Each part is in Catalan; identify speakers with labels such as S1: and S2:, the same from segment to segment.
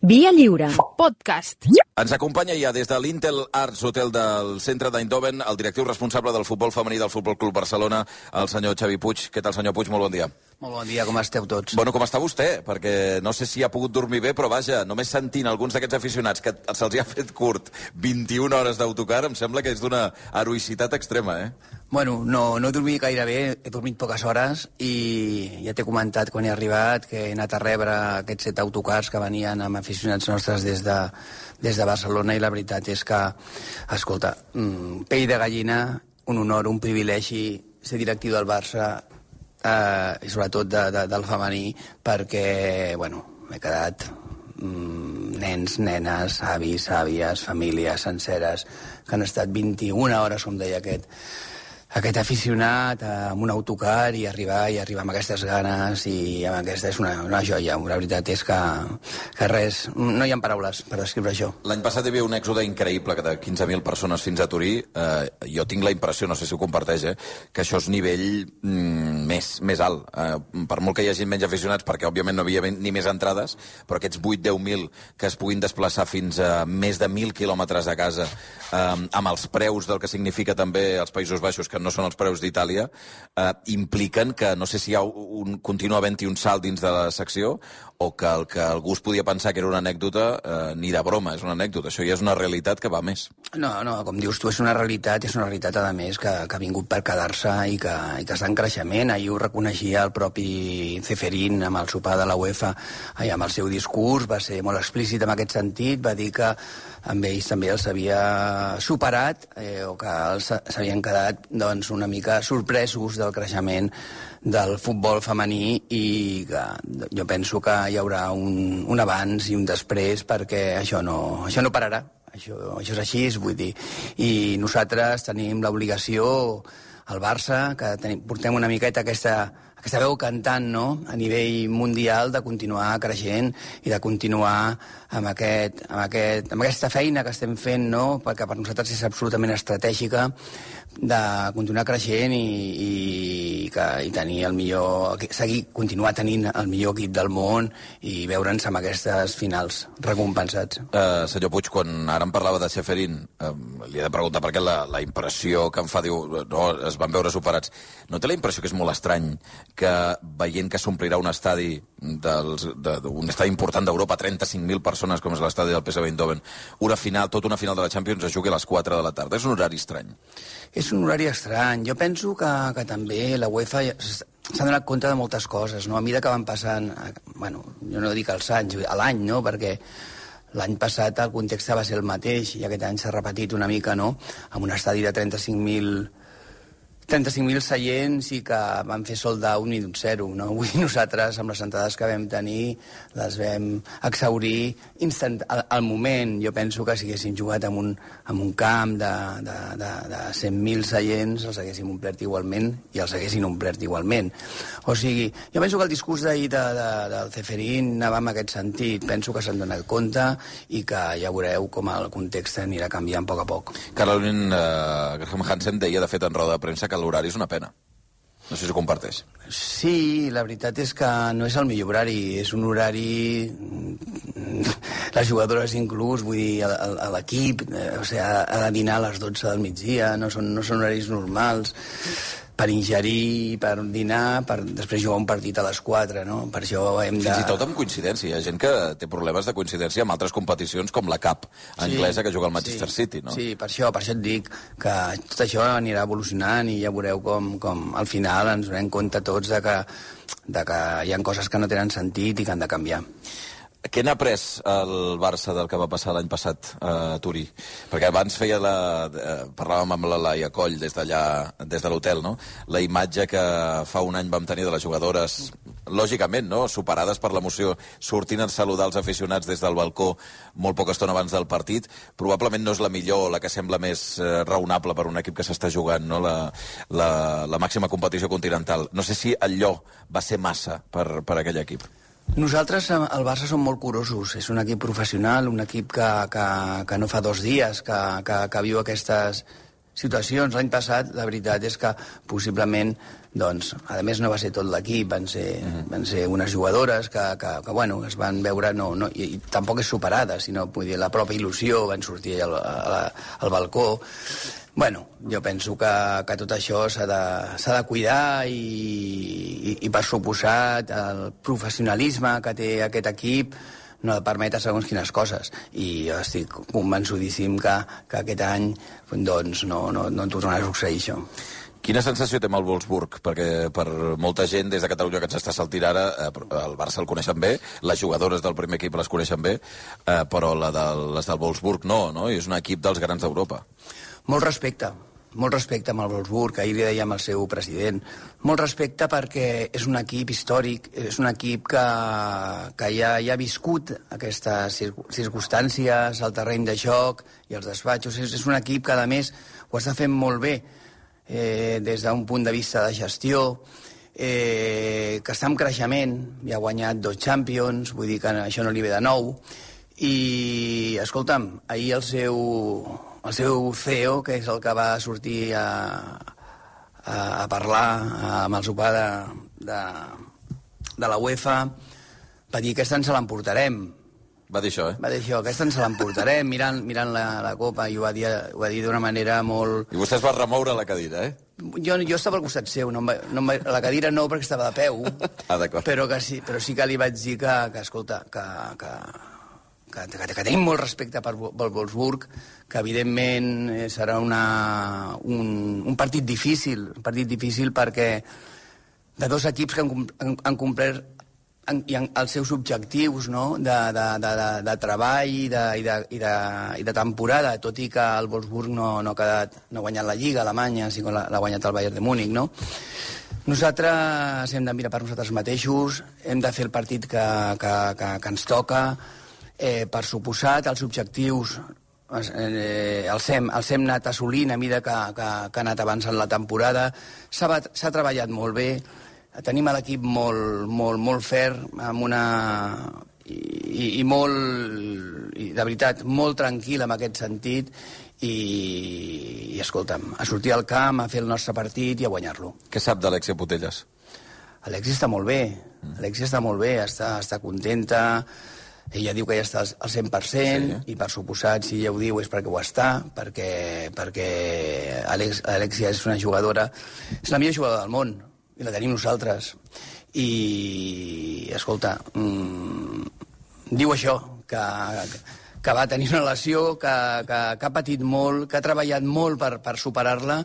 S1: Via Lliure.
S2: Podcast.
S3: Ens acompanya ja des de l'Intel Arts Hotel del centre d'Eindhoven el directiu responsable del futbol femení del Futbol Club Barcelona, el senyor Xavi Puig. Què tal, senyor Puig? Molt bon dia.
S4: Molt bon dia, com esteu tots?
S3: Bueno, com està vostè? Perquè no sé si ha pogut dormir bé, però vaja, només sentint alguns d'aquests aficionats que se'ls ha fet curt 21 hores d'autocar, em sembla que és d'una heroïcitat extrema, eh?
S4: Bueno, no he dormit gaire bé, he dormit poques hores i ja t'he comentat quan he arribat que he anat a rebre aquests 7 autocars que venien amb aficionats nostres des de Barcelona i la veritat és que, escolta, pell de gallina, un honor, un privilegi ser directiu del Barça i sobretot del femení perquè, bueno, m'he quedat nens, nenes, avis, àvies, famílies senceres que han estat 21 hores, com deia aquest aficionat amb un autocar i arribar amb aquestes ganes i amb aquesta és una joia. La veritat és que res, no hi ha paraules per descriure això.
S3: L'any passat hi havia un èxode increïble de 15.000 persones fins a Turí. Jo tinc la impressió, no sé si ho comparteix, que això és nivell més alt. Per molt que hi hagi menys aficionats, perquè òbviament no hi havia ni més entrades, però aquests 8-10.000 que es puguin desplaçar fins a més de 1.000 quilòmetres de casa, amb els preus del que significa també els Països Baixos, que no són els preus d'Itàlia, impliquen que no sé si continua havent-hi un salt dins de la secció o que el que algú es podia pensar que era una anècdota, ni de broma, és una anècdota. Això ja és una realitat que va més.
S4: No, com dius tu, és una realitat, a més, que ha vingut per quedar-se i que està en creixement. Ahir ho reconeixia el propi Ceferín amb el sopar de la UEFA, amb el seu discurs, va ser molt explícit en aquest sentit, va dir que amb ells també els havia superat o que s'havien quedat doncs, una mica sorpresos del creixement del futbol femení i que jo penso que hi haurà un abans i un després perquè això no pararà. Això és així, vull dir. I nosaltres tenim l'obligació, al Barça, que portem una miqueta aquesta veu cantant, no?, a nivell mundial, de continuar creixent i de continuar amb aquesta feina que estem fent, no?, perquè per nosaltres és absolutament estratègica, de continuar creixent i tenir el millor, continuar tenint el millor equip del món i veure'ns amb aquestes finals recompensats.
S3: Senyor Puig, quan ara em parlava de Ceferín, li he de preguntar perquè la impressió que em fa, diu, no, es van veure superats. No té la impressió que és molt estrany que veient que s'omplirà un estadi un estadi important d'Europa, 35.000 persones, com és l'estadi del PSV Eindhoven, tota una final de la Champions es jugui a les 4 de la tarda? És un horari estrany.
S4: És un horari estrany. Jo penso que també la UEFA s'ha donat compte de moltes coses, no? A mesura que van passant, bueno, jo no dic els anys, a l'any, no?, perquè l'any passat el context va ser el mateix i aquest any s'ha repetit una mica, no?, amb un estadi de 35.000 seients i que van fer sold out i d'un 0, no? Avui nosaltres, amb les entrades que vam tenir, les vam exhaurir al moment. Jo penso que si haguéssim jugat en un camp de 100.000 seients, els haguéssim omplert igualment i els haguessin omplert igualment. O sigui, jo penso que el discurs d'ahir del Ceferín anava en aquest sentit. Penso que s'han donat compte i que ja veureu com el context anirà canviant a poc a poc.
S3: Caroline Graham Hansen deia, de fet, en roda de premsa, que l'horari és una pena. No sé si ho comparteix.
S4: Sí, la veritat és que no és el millor horari. És un horari... Les jugadores inclús, vull dir, l'equip, o sigui, ha de dinar a les 12 del migdia, no són horaris normals per ingerir, per dinar, per després jugar un partit a les 4, no? Per això hem de...
S3: Fins i tot amb coincidència. Hi ha gent que té problemes de coincidència amb altres competicions com la CAP anglesa que juga al Manchester City, no?
S4: Sí, per això et dic que tot això anirà evolucionant i ja veureu com al final ens donem compte tots de que hi ha coses que no tenen sentit i que han de canviar.
S3: Què n'ha après el Barça del que va passar l'any passat a Turí? Perquè abans parlàvem amb la Laia Coll des de l'hotel, no? La imatge que fa un any vam tenir de les jugadores, lògicament, no?, superades per l'emoció, sortint a saludar els aficionats des del balcó molt poca estona abans del partit, probablement no és la millor, la que sembla més raonable per un equip que s'està jugant, no?, la màxima competició continental. No sé si allò va ser massa per aquell equip.
S4: Nosaltres, al Barça, som molt curosos. És un equip professional, un equip que no fa 2 dies que viu aquestes situacions. L'any passat, la veritat és que possiblement Doncs, a més, no va ser tot l'equip, van ser unes jugadores que bueno, es van veure, i tampoc és superada, sinó vull dir, la pròpia il·lusió, van sortir al balcó. Bueno, jo penso que tot això s'ha de cuidar i per suposat, el professionalisme que té aquest equip no ha de permetre segons quines coses. I jo estic convençudíssim que aquest any doncs, no tornarà a succeir això.
S3: Quina sensació té amb el Wolfsburg? Perquè per molta gent des de Catalunya que ens està saltint ara, el Barça el coneixen bé, les jugadores del primer equip les coneixen bé, però les del Wolfsburg no? I és un equip dels grans d'Europa.
S4: Molt respecte amb el Wolfsburg, ahir li dèiem al seu president. Molt respecte perquè és un equip històric, és un equip que ja ha viscut aquestes circumstàncies, el terreny de joc i els despatxos. És un equip que, a més, ho està fent molt bé des d'un punt de vista de gestió, que està en creixement, ja ha guanyat 2 Champions, vull dir que això no li ve de nou. I, escolta'm, ahir el seu CEO, que és el que va sortir a parlar amb el sopar de la UEFA, va dir que aquesta ens l'emportarem.
S3: Va dir això,
S4: Va dir això, aquesta ens l'emportarem, mirant la Copa, i ho va dir d'una manera molt...
S3: I vostè es va remoure la cadira,
S4: Jo estava al costat seu, la cadira no, perquè estava de peu,
S3: d'acord.
S4: però sí que li vaig dir que escolta, que tenim molt respecte pel Wolfsburg, que evidentment serà un partit difícil, perquè de 2 equips que han complert els seus objectius, no? de treball i de temporada, tot i que el Wolfsburg no ha guanyat la Lliga Alemanya, sinó que l'ha guanyat el Bayern de Múnich, no? Nosaltres hem de mirar per nosaltres mateixos, hem de fer el partit que ens toca. Per suposat, els objectius els hem anat assolint a mesura que ha anat avançant la temporada. S'ha treballat molt bé, tenim l'equip molt ferm, i de veritat, molt tranquil en aquest sentit, i escolta'm, a sortir al camp, a fer el nostre partit i a guanyar-lo.
S3: Què sap d'Alexia Putellas?
S4: Alexia està molt bé, està contenta. Ella diu que ja està al 100%, i per suposat, si ella ho diu és perquè ho està, perquè Alexia és una jugadora, és la millor jugadora del món, i la tenim nosaltres. I, escolta, diu això, que va tenir una lesió, que ha patit molt, que ha treballat molt per superar-la,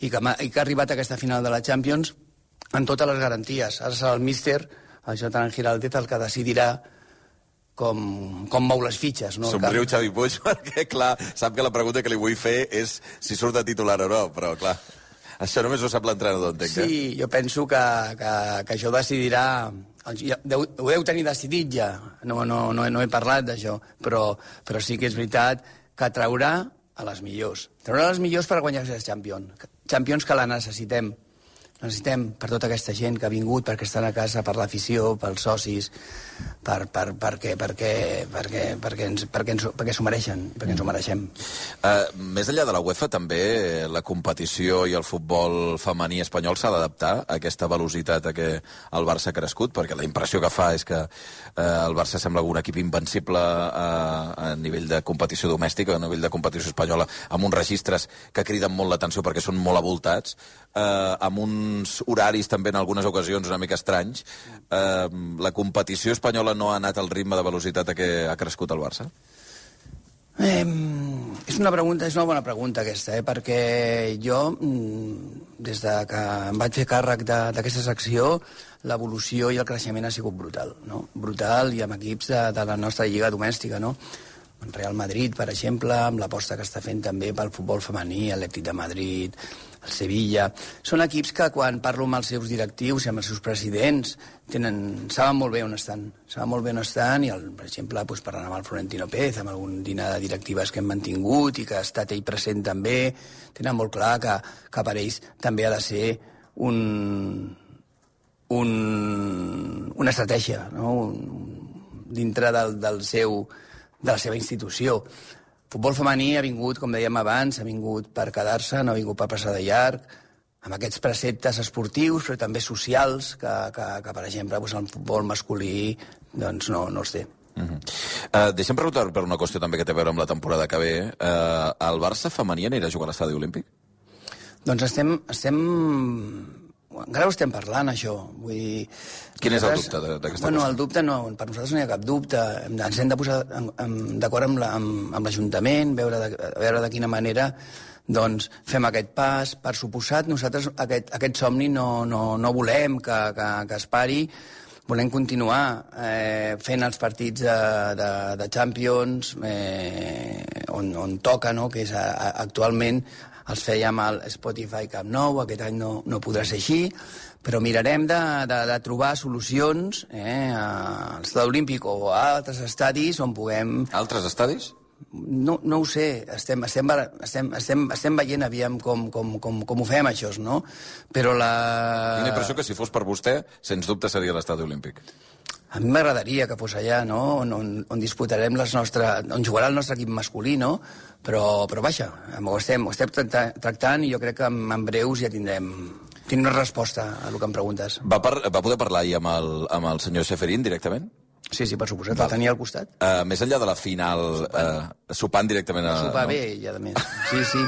S4: i que ha arribat a aquesta final de la Champions amb totes les garanties. Ara serà el míster, el Jonathan Giraldez, el que decidirà com mou les fitxes. No?
S3: Somriu Xavi Puig, perquè, clar, sap que la pregunta que li vull fer és si surt de titular o no, però, clar, això només ho sap l'entrenador, entenc.
S4: Sí, jo penso que això decidirà... Ho deu tenir decidit ja, no he parlat d'això, però sí que és veritat que traurà a les millors. Traurà a les millors per guanyar les Champions, que la necessitem. Necessitem per tota aquesta gent que ha vingut, perquè estan a casa, per l'afició, pels socis, perquè s'ho mereixen, perquè ens ho mereixem.
S3: Més enllà de la UEFA, també la competició i el futbol femení espanyol s'ha d'adaptar a aquesta velocitat a què el Barça ha crescut, perquè la impressió que fa és que el Barça sembla un equip invencible a nivell de competició domèstica, a nivell de competició espanyola, amb uns registres que criden molt l'atenció perquè són molt avoltats, amb uns horaris també en algunes ocasions una mica estranys. La competició espanyola no ha anat al ritme de velocitat a què ha crescut el Barça?
S4: És una bona pregunta aquesta, perquè jo, des de que em vaig fer càrrec d'aquesta secció, l'evolució i el creixement ha sigut brutal, no? Brutal, i amb equips de la nostra lliga domèstica, no? El Real Madrid, per exemple, amb l'aposta que està fent també pel futbol femení, l'Atlètic de Madrid, el Sevilla. Són equips que, quan parlo amb els seus directius i amb els seus presidents, saben molt bé on estan. I, per exemple, parlant amb el Florentino Pérez, amb algun dinar de directives que hem mantingut i que ha estat ell present també, tenen molt clar que per ells també ha de ser una estratègia, no? Dintre de la seva institució. Futbol femení ha vingut, com dèiem abans, ha vingut per quedar-se, no ha vingut per passar de llarg, aquests preceptes esportius, però també socials, que per exemple, el futbol masculí doncs no els té.
S3: Deixa'm preguntar per una qüestió també que té a veure amb la temporada que ve. El Barça femení anirà a jugar a l'Estadi Olímpic?
S4: Doncs encara ho estem parlant, això. Vull dir,
S3: quin és el dubte d'aquesta qüestió?
S4: El dubte no, per nosaltres no hi ha cap dubte. Ens hem de posar d'acord amb l'Ajuntament, veure de quina manera doncs fem aquest pas. Per suposat, nosaltres aquest somni no volem que es pari. Volem continuar fent els partits de Champions on toca, no? Que és actualment els fèiem al Spotify Camp Nou, aquest any no podrà ser així, però mirarem de trobar solucions a l'Estadi Olímpic o a altres estadis on puguem...
S3: Altres estadis?
S4: No ho sé, estem veient aviam com ho fem, això, no? Però
S3: Tinc la impressió que si fos per vostè, sens dubte seria l'Estadi Olímpic.
S4: A mi m'agradaria que fos allà, no? On disputarem on jugarà el nostre equip masculí, no? Però vaja, ho estem tractant i jo crec que en breus ja tindrem una resposta a el que em preguntes.
S3: Va poder parlar ahir amb el senyor Ceferín directament?
S4: Sí, per suposat, el tenia al costat.
S3: Més enllà de la final, sopant directament...
S4: A sopar bé, i a més. Sí,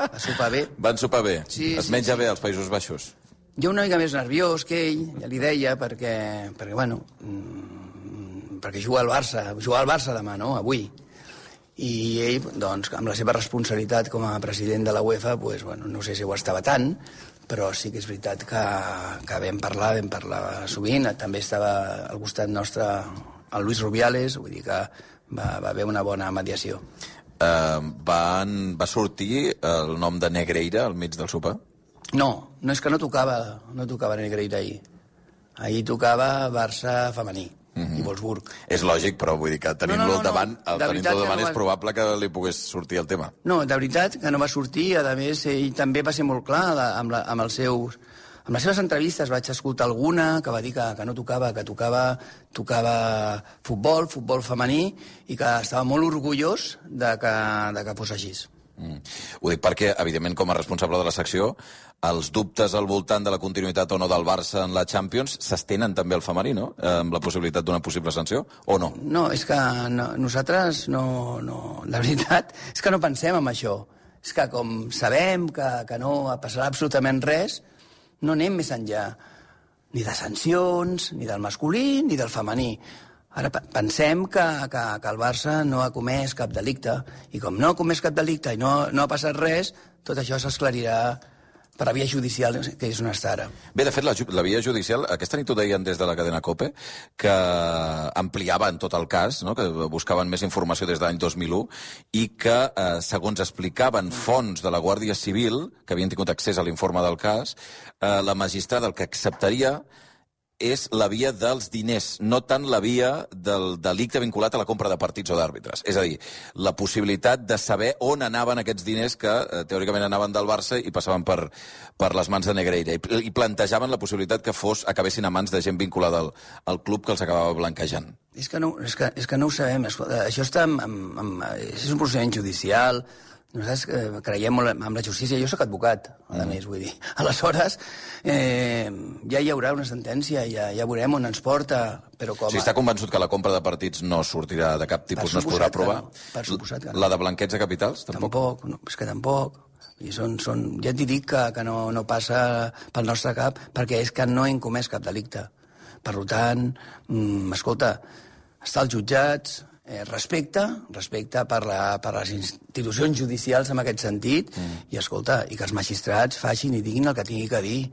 S4: a sopar bé.
S3: Van sopar bé?
S4: Sí,
S3: es menja bé als Països Baixos?
S4: Jo una mica més nerviós que ell, ja li deia, perquè bueno, perquè juga al Barça demà, no?, avui. I ell, doncs, amb la seva responsabilitat com a president de la UEFA, doncs, bueno, no sé si ho estava tant, però sí que és veritat que vam parlar sovint. També estava al costat nostre el Luis Rubiales, vull dir que va haver una bona mediació.
S3: Va sortir el nom de Negreira al mig del sopar?
S4: No, és que no tocava Negreira ahir. Ahir tocava Barça femení. I Wolfsburg.
S3: És lògic, però vull dir que tenint-lo al davant, és probable que li pogués sortir el tema. No,
S4: de veritat que no va sortir. A més, ell també va ser molt clar amb les seves entrevistes. Vaig escoltar alguna que va dir que no tocava, que tocava futbol femení, i que estava molt orgullós de que fos així.
S3: Ho dic perquè, evidentment, com a responsable de la secció, els dubtes al voltant de la continuïtat o no del Barça en la Champions s'estenen també al femení, no? Amb la possibilitat d'una possible sanció, o no?
S4: No, és que nosaltres no... La veritat és que no pensem en això. És que com sabem que no passarà absolutament res, no anem més enllà ni de sancions, ni del masculí, ni del femení. Ara pensem que el Barça no ha comès cap delicte, i com no ha comès cap delicte i no ha passat res, tot això s'esclarirà per la via judicial, que és on està ara.
S3: Bé, de fet, la via judicial, aquesta nit ho deien des de la cadena COPE, que ampliaven tot el cas, no? Que buscaven més informació des de l'any 2001, i que, segons explicaven fonts de la Guàrdia Civil, que havien tingut accés a l'informe del cas, la magistrada el que acceptaria és la via dels diners, no tant la via del delicte vinculat a la compra de partits o d'àrbitres. És a dir, la possibilitat de saber on anaven aquests diners que teòricament anaven del Barça i passaven per les mans de Negreira. I plantejaven la possibilitat que acabessin a mans de gent vinculada al club que els acabava blanquejant.
S4: És que no ho sabem. Això està és un procediment judicial. Nosaltres creiem molt en la justícia. Jo soc advocat, a més, vull dir. Aleshores, ja hi haurà una sentència, ja veurem on ens porta, però com...
S3: Si està convençut que la compra de partits no sortirà de cap tipus, no es podrà aprovar?
S4: Per suposat que no.
S3: La de blanqueig de capitals, tampoc?
S4: Tampoc, no, és que tampoc. Ja t'hi dic que no passa pel nostre cap, perquè és que no hem comès cap delicte. Per tant, escolta, està als jutjats... respecte per les institucions judicials en aquest sentit, i escolta, i que els magistrats facin i diguin el que tingui que dir.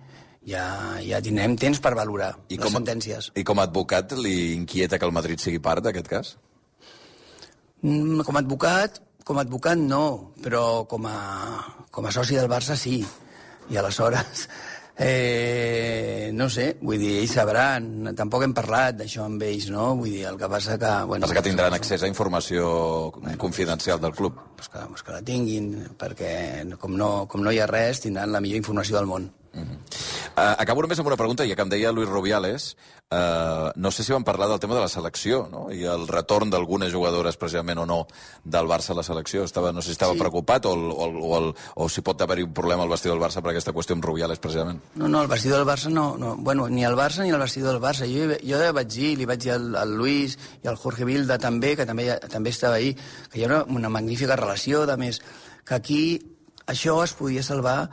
S4: Ja tindrem temps per valorar les sentències.
S3: I com a advocat li inquieta que el Madrid sigui part d'aquest cas?
S4: Com a advocat no, però com a soci del Barça sí. I aleshores... no sé, vull dir, ells sabran, tampoc hem parlat d'això amb ells, no? Vull dir, el que passa que...
S3: Passa que tindran accés a informació confidencial del club.
S4: Pues que la tinguin, perquè com no hi ha res, tindran la millor informació del món.
S3: Acabo només amb una pregunta, ja que em deia Luis Rubiales. No sé si vam parlar del tema de la selecció, no? I el retorn d'algunes jugadores, precisament o no, del Barça a la selecció. No sé si estava preocupat o si pot haver-hi un problema al vestidor del Barça per aquesta qüestió amb Rubiales, precisament.
S4: No, el vestidor del Barça no. Bueno, ni el Barça ni el vestidor del Barça. Jo li vaig dir al Luis i al Jorge Vilda també, que també estava ahí, que hi ha una magnífica relació, a més, que aquí això es podia salvar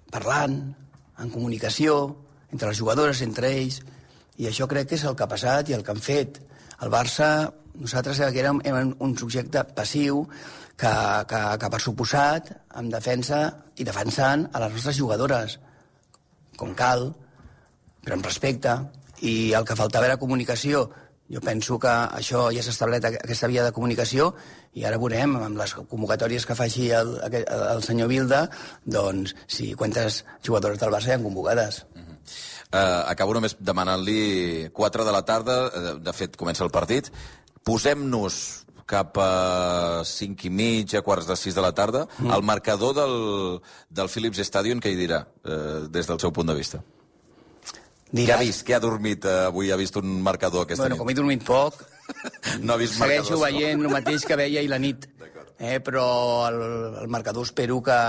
S4: parlant, en comunicació, entre les jugadores, entre ells, i això crec que és el que ha passat i el que han fet. El Barça, nosaltres érem un subjecte passiu que per suposat, en defensa i defensant a les nostres jugadores, com cal, però amb respecte, i el que faltava era comunicació. Jo penso que això ja s'ha establert, aquesta via de comunicació, i ara veurem, amb les convocatòries que faci el senyor Vilda, doncs, si quantes jugadores del Barça hi han convocades.
S3: Acabo només demanant-li 4 de la tarda, de fet comença el partit, posem-nos cap a 5 i mig, a quarts de 6 de la tarda, el marcador del Philips Stadium, què hi dirà, des del seu punt de vista? Què ha vist? Què ha dormit avui? Ha vist un marcador aquesta nit?
S4: Bueno, com he dormit poc,
S3: no ha vist marcadors.
S4: Segueixo veient el mateix que veia ahir la nit. Però el marcador espero que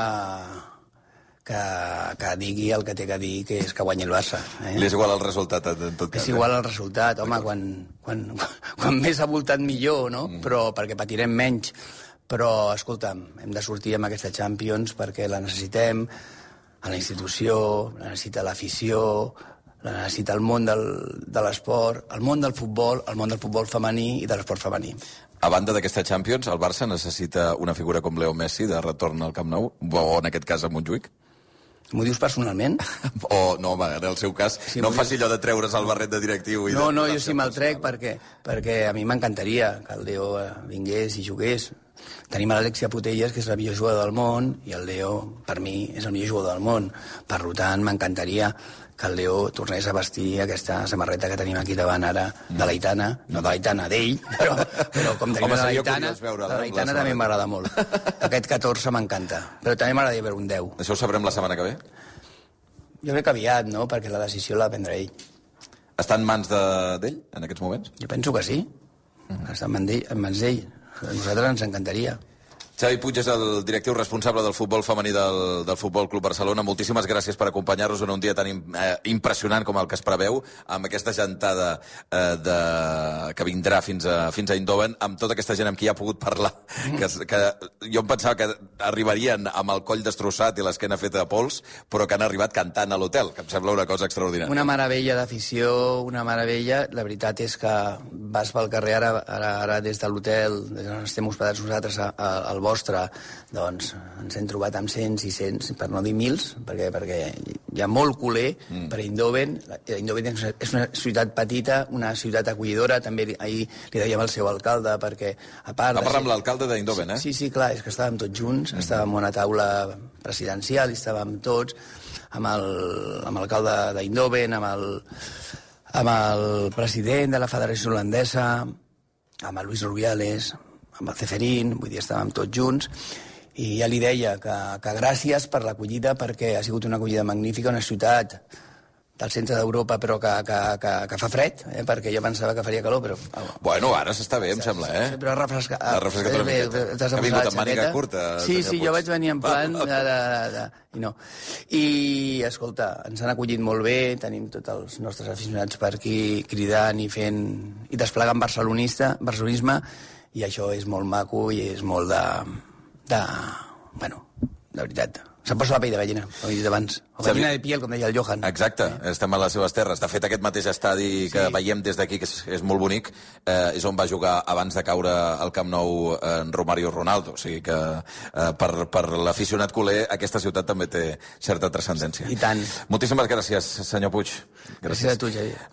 S4: digui el que té que dir, que és que guanyi el Barça.
S3: Li és igual el resultat, en tot cas.
S4: És igual el resultat, home, quan més avoltat millor, no? Però perquè patirem menys. Però, escolta'm, hem de sortir amb aquesta Champions perquè la necessitem a la institució, la necessita l'afició, la necessita el món de l'esport, el món del futbol femení i de l'esport femení.
S3: A banda d'aquesta Champions, el Barça necessita una figura com Leo Messi de retorn al Camp Nou, o en aquest cas a Montjuïc?
S4: M'ho dius personalment?
S3: No, home, en el seu cas, sí, no faci allò de treure's el barret de directiu.
S4: No, jo sí me'l trec perquè a mi m'encantaria que el Leo vingués i jugués. Tenim l'Alexia Putellas, que és la millor jugadora del món, i el Leo, per mi, és el millor jugador del món. Per tant, m'encantaria que el Leo tornés a vestir aquesta samarreta que tenim aquí davant ara, de l'Aitana, no de l'Aitana, d'ell, però com tenim la l'Aitana també m'agrada molt. Aquest 14 m'encanta, però també m'agradaria veure un 10.
S3: Això ho sabrem la setmana que ve?
S4: Jo crec que aviat, no?, perquè la decisió la prendrà ell.
S3: Està en mans d'ell, en aquests moments?
S4: Jo penso que sí, està en mans d'ell. A nosaltres ens encantaria.
S3: Xavi Puig és el directiu responsable del futbol femení del Futbol Club Barcelona. Moltíssimes gràcies per acompanyar-nos en un dia tan impressionant com el que es preveu, amb aquesta gentada que vindrà fins a Eindhoven, amb tota aquesta gent amb qui ha pogut parlar, que jo em pensava que arribarien amb el coll destrossat i l'esquena feta de pols, però que han arribat cantant a l'hotel, que em sembla una cosa extraordinària.
S4: Una meravella d'afició, una meravella. La veritat és que vas pel carrer ara des de l'hotel, des on estem hospedats nosaltres al vostre, doncs ens hem trobat amb cents i cents, per no dir mils, perquè hi ha molt culer per Eindhoven. Eindhoven és una ciutat petita, una ciutat acollidora, també ahir li dèiem al seu alcalde, perquè a part...
S3: Va parlar amb l'alcalde d'Eindhoven,
S4: Sí, clar, és que estàvem tots junts, estàvem en una taula presidencial, i estàvem tots, amb l'alcalde d'Eindhoven, amb el president de la Federació Holandesa, amb el Luis Rubiales, amb el Ceferín, vull dir, estàvem tots junts, i ja li deia que gràcies per l'acollida, perquè ha sigut una acollida magnífica, una ciutat del centre d'Europa, però que fa fred, perquè jo pensava que faria calor, però...
S3: Bueno, ara s'està bé, em sembla,
S4: Però ha refrescat.
S3: Ha refrescat una miqueta. Ha vingut amb màniga curta.
S4: Sí, jo vaig venir en plan... I no. I, escolta, ens han acollit molt bé, tenim tots els nostres aficionats per aquí cridant i fent... i desplegant barcelonisme, i això és molt maco i és molt bueno, de veritat. Se'm posa la pell de gallina, com he dit abans. O gallina de piel, com deia el Johan.
S3: Exacte, estem a les seves terres. De fet, aquest mateix estadi que veiem des d'aquí, que és molt bonic, és on va jugar abans de caure al Camp Nou Romario Ronaldo. O sigui que per l'aficionat culer aquesta ciutat també té certa transcendència.
S4: I tant.
S3: Moltíssimes gràcies, senyor Puig.
S4: Gràcies a tu, Xavier.